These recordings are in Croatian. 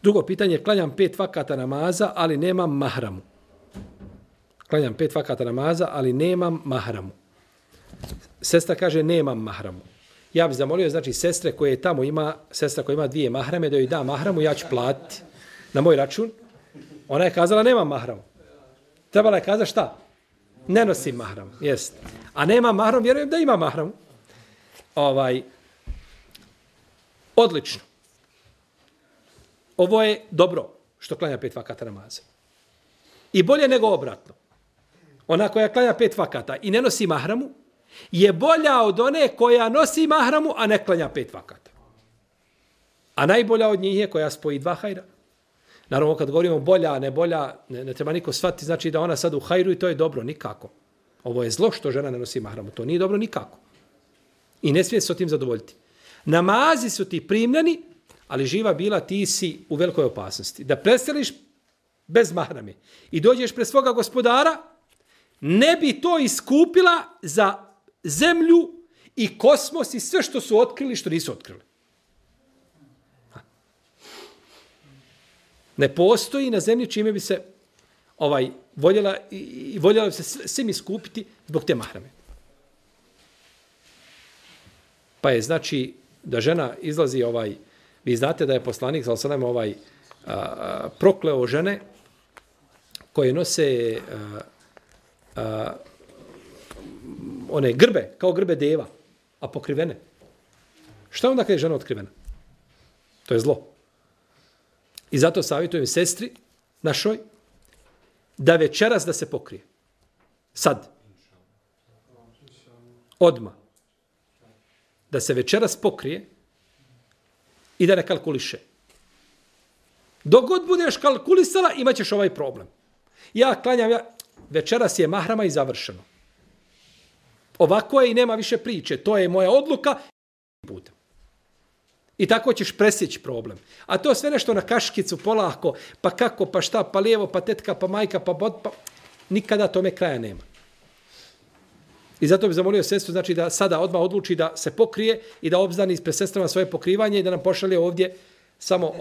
Drugo pitanje, klanjam 5 vakata namaza, ali nemam mahramu. Klanjam 5 vakata namaza, ali nemam mahramu. Sestra kaže, nemam mahramu. Ja bih zamolio, znači, sestra koja ima 2 mahrame, da joj da mahramu, ja ću platiti na moj račun. Ona je kazala, nemam mahramu. Trebala je kazati šta? Ne nosim mahramu, jest. A nema mahram, vjerujem da ima mahramu. Odlično. Ovo je dobro što klanja 5 vakata namaza. I bolje nego obratno. Ona koja klanja 5 vakata i ne nosi mahramu, je bolja od one koja nosi mahramu, a ne klanja 5 vakata. A najbolja od njih je koja spoji 2 hajra. Naravno, kad govorimo bolja, ne bolja, ne treba niko shvatiti, znači da ona sad u hajru i to je dobro, nikako. Ovo je zlo što žena ne nosi mahramu, to nije dobro nikako. I ne smije se o tim zadovoljiti. Namazi su ti primljeni, ali živa bila, ti si u velikoj opasnosti. Da preseliš bez mahrame i dođeš pred svoga gospodara, ne bi to iskupila za zemlju i kosmos i sve što su otkrili, što nisu otkrili. Ne postoji na zemlji čime bi se voljela bi se svim iskupiti zbog te mahrame. Pa je znači da žena izlazi vi znate da je poslanik sallallahu prokleo žene koje nose one grbe, kao grbe deva, a pokrivene. Šta onda kada je žena otkrivena? To je zlo. I zato savjetujem sestri našoj da večeras da se pokrije. Sad. Odma. Da se večeras pokrije i da ne kalkuliše. Dok god budeš kalkulisala, imat ćeš ovaj problem. Ja klanjam, večeras je mahrama i završeno. Ovako je i nema više priče. To je moja odluka. I tako ćeš presjeći problem. A to sve nešto na kaškicu, polako, pa kako, pa šta, pa lijevo, pa tetka, pa majka, pa nikada tome kraja nema. I zato bih zamolio sestru, znači da sada odmah odluči da se pokrije i da obznani ispred sestrama svoje pokrivanje i da nam pošalje ovdje samo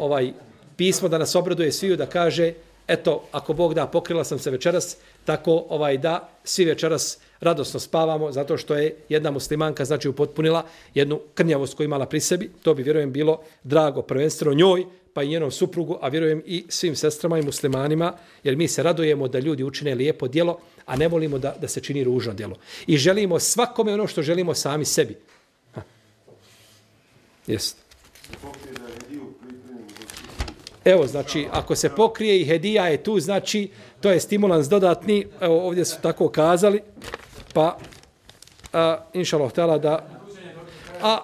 pismo da nas obraduje sviju, da kaže, eto, ako Bog da, pokrila sam se večeras, tako da svi večeras radosno spavamo, zato što je jedna muslimanka, znači, upotpunila jednu krnjavost koju imala pri sebi. To bi, vjerujem, bilo drago prvenstveno njoj, pa i njenom suprugu, a vjerujem i svim sestrama i muslimanima, jer mi se radujemo da ljudi učine lijepo djelo, a ne volimo da se čini ružno djelo. I želimo svakome ono što želimo sami sebi. Jeste. Evo, znači, ako se pokrije i hedija je tu, znači, to je stimulans dodatni, evo, ovdje su tako kazali, pa, inšallah htjela da... A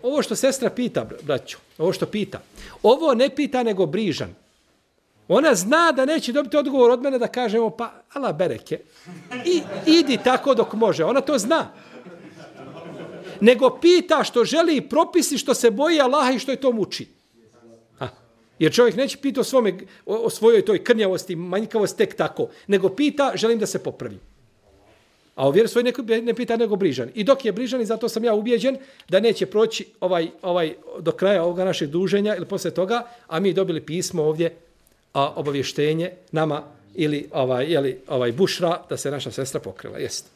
ovo što sestra pita, braćo, ovo što pita, ovo ne pita nego brižan. Ona zna da neće dobiti odgovor od mene da kažemo, pa, ala bereke, idi tako dok može, ona to zna. Nego pita što želi propisi, što se boji Allaha i što je to muči. Jer čovjek neće pita o svojoj toj krnjavosti, manjkavosti tek tako, nego pita, želim da se popravi. A o vjeru svoj ne pita nego brižan. I dok je brižan, i zato sam ja ubijeđen da neće proći do kraja ovoga našeg druženja ili posle toga, a mi dobili pismo ovdje, obavještenje nama ili bušra da se naša sestra pokrila. Jeste.